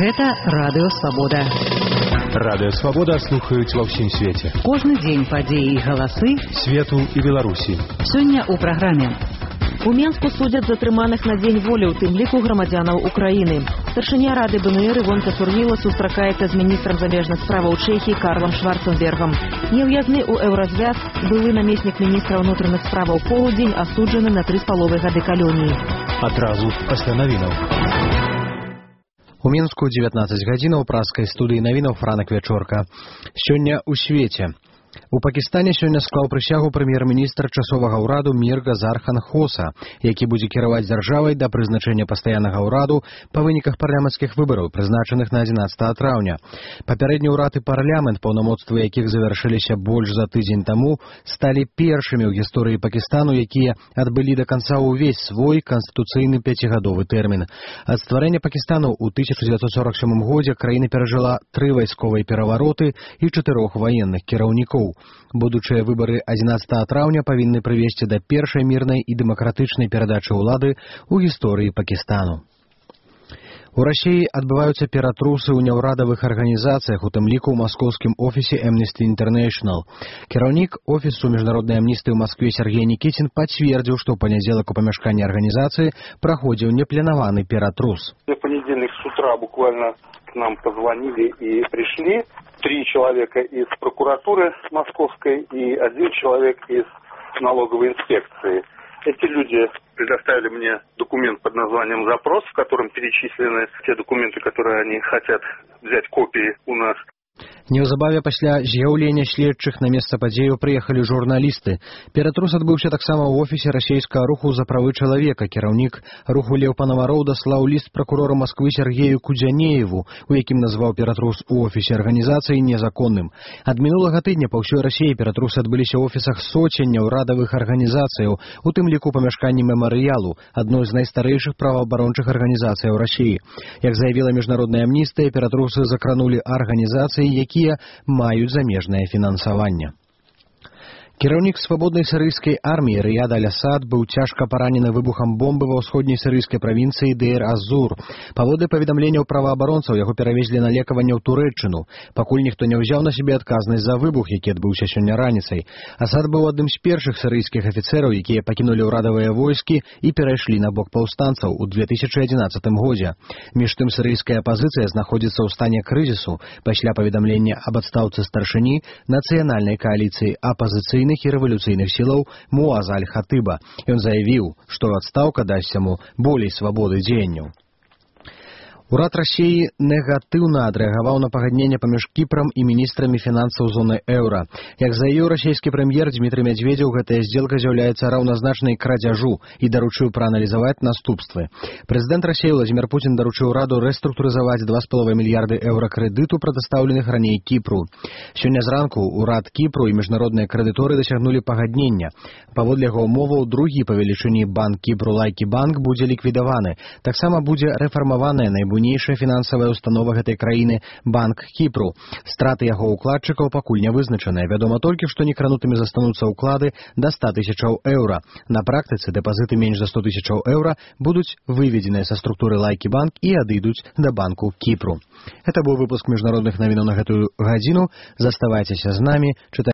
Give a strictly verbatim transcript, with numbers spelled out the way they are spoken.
Гэта Радыё Свабода. Радыё Свабода слухаюць ва ўсім свеце. Кожны дзень падзеі і галасы свету і Беларусі. Сёння ў праграме. У Менску судзяць затрыманых на дзень волі, у тым ліку грамадзянаў Украіны. Старшыня Рады БНР Івонка Сурвіла сустракаецца з міністрам замежных справаў Чэхіі Карлам Шварценбергам. Неўязны ў еўразвяз былы намеснік міністра ўнутраных справаў Полудзень асуджаны на тры з паловай гады калоніі. Адразу пасля навінаў. У Мінску дзевятнаццаць гадзінаў праскай студыі навінаў Франак Вячорка. Сёння ў свеце. У Пакістане сёння склаў прысягу прэм'ер-міністр часовага ўраду Мір Газар Хан Хоса, які будзе кіраваць дзяржавай да прызначэння пастаяннага ўраду па выніках парламенцкіх выбараў, прызначаных на адзінаццатага траўня. Папярэдні ўрад і парламент, паўнамоцтвы якіх завяршыліся больш за тыдзень таму, сталі першымі ў гісторыі Пакістану, якія адбылі да канца ўвесь свой канстытуцыйны пяцігадовы тэрмін. Ад стварэння Пакістану ў тысяча дзевяцьсот сорак сёмым годзе краіна перажыла тры вайсковыя перавароты і чатырох ваенных кіраўнікоў. Будучыя выбары адзінаццатага траўня павінны прывесці да першай мірнай і дэмакратычнай перадачы ўлады ў гісторыі Пакістану. У Расіі адбываюцца ператрусы ў няўрадавых арганізацыях, у тым ліку ў маскоўскім офісе Amnesty International. Кіраўнік офісу міжнароднай амністыі ў Маскве Сергей Никитин пацвердзіў, што ў панядзелак у памяшканні арганізацыі праходзіў непланаваны ператрус. В понедельник с утра буквально к нам позвонили и пришли три человека из прокуратуры московской и один человек из налоговой инспекции. Эти люди предоставили мне документ под названием «Запрос», в котором перечислены те документы, которые они хотят взять копии у нас. Неўзабаве пасля з'яўлення следчых на месца падзею прыехалі журналісты. Ператрус адбыўся таксама ў офісе расійскага руху за правы чалавека. Кіраўнік руху Леў Панавароў даслаў ліст пракурору Масквы Сергею Кудзянееву, у якім назваў ператрус у офісе арганізацыі незаконным. Ад мінулага тыдня па ўсёй Расіі ператрусы адбыліся ў офісах соцень няўрадавых арганізацыяў, у тым ліку памяшканні мемарыялу, адной з найстарэйшых праваабарончых арганізацыяў Расіі. Як заявіла міжнародная амністыя, ператрусы закранулі арганізацыі, якія маюць замежнае фінансаванне. Кіраўнік свабоднай сірыйскай арміі Рыяд Аль-Асад быў цяжка паранены выбухам бомбы ва ўсходняй сірыйскай правінцыі Дейр-аз-Зур. Паводле паведамленняў праваабаронцаў, яго перавезлі на лекаванне ў Турэччыну, пакуль ніхто не ўзяў на сябе адказнасць за выбух, які адбыўся сёння раніцай. Асад быў адным з першых сірыйскіх афіцэраў, якія пакінулі ўрадавыя войскі і перайшлі на бок паўстанцаў у две тысячы адзінаццатым годзе. Між тым сірыйская апазіцыя знаходзіцца ў стане крызісу пасля паведамлення аб адстаўцы старшыні нацыянальнай кааліцыі апазіцыйных і рэвалюцыйных сілаў Муаза Аль-Хатыба. Ён заявіў, што адстаўка дасць яму болей свабоды дзеянняў. Урад Расіі негатыўна адрэагаваў на пагадненне паміж Кіпрам і міністрамі фінансаў зоны еўра. Як заявіў расійскі прэм'ер Дмітрый Медведзеў, гэтая здзелка з'яўляецца раўназначнай крадзяжу і даручыў прааналізаваць наступствы. Прэзідэнт Расіі Владзімір Пуцін даручыў ураду рэструктурызаваць два з паловай мільярды еўра крэдыту, прадастаўленых раней Кіпру. Сёння зранку урад Кіпру і міжнародныя крэдыторы дасягнулі пагаднення. Паводле яго умоваў, другі па велічыні банк Кіпру Лайкі банк будзе ліквідаваны. Таксама будзе рэфармаваная найбуйнейшая Найбуйнейшая фінансавая установа гэтай краіны банк Кіпру. Страты яго ўкладчыкаў пакуль не вызначаныя. Вядома толькі, што некранутымі застануцца ўклады да ста тысячаў еўра. На практыцы дэпазіты менш за сто тысячаў еўра будуць выведзеныя са структуры Лайкі банк і адыдуць да банку Кіпру. Гэта быў выпуск міжнародных навінаў на гэтую гадзіну. Заставайцеся з намі.